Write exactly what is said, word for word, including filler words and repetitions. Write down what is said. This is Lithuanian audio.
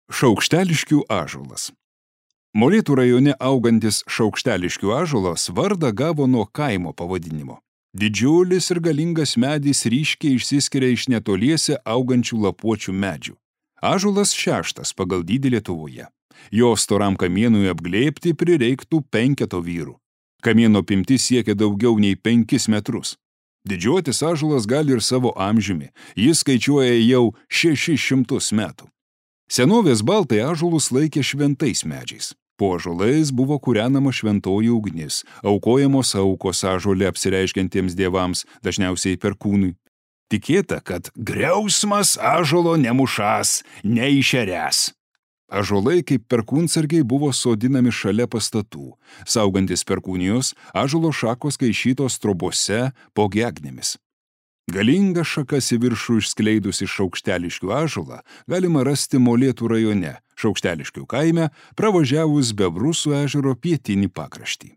Šaukšteliškių ąžuolas. Molėtų rajone augantis Šaukšteliškių ąžuolas vardą gavo nuo kaimo pavadinimo. Didžiulis ir galingas medis ryškiai išsiskiria iš netoliese augančių lapuočių medžių. Ąžuolas šeštas pagal dydį Lietuvoje. Jo storam kamienui apglėbti prireiktų penketo vyrų. Kamieno apimtis siekia daugiau nei penkis metrus. Didžiuotis ąžuolas gali ir savo amžiumi. Jis skaičiuoja jau šešis šimtus metų. Senovės baltai ąžuolus laikė šventais medžiais. Po ąžuolais buvo kūrenama šventoji ugnis, aukojamos aukos ąžuole apsireiškiantiems dievams, dažniausiai perkūnui. Tikėta, kad griausmas ąžuolo nemušas, neišeręs. Ąžuolai kaip perkūnsargiai buvo sodinami šalia pastatų. Saugantis perkūnijos, ąžuolo šakos kaišytos trobose po gegnėmis. Galingą šakas į viršų išskleidusi Šaukšteliškių ąžuolą galima rasti Molėtų rajone, Šaukšteliškių kaime, pravažiavus Bebrusų ežero pietinį pakraštį.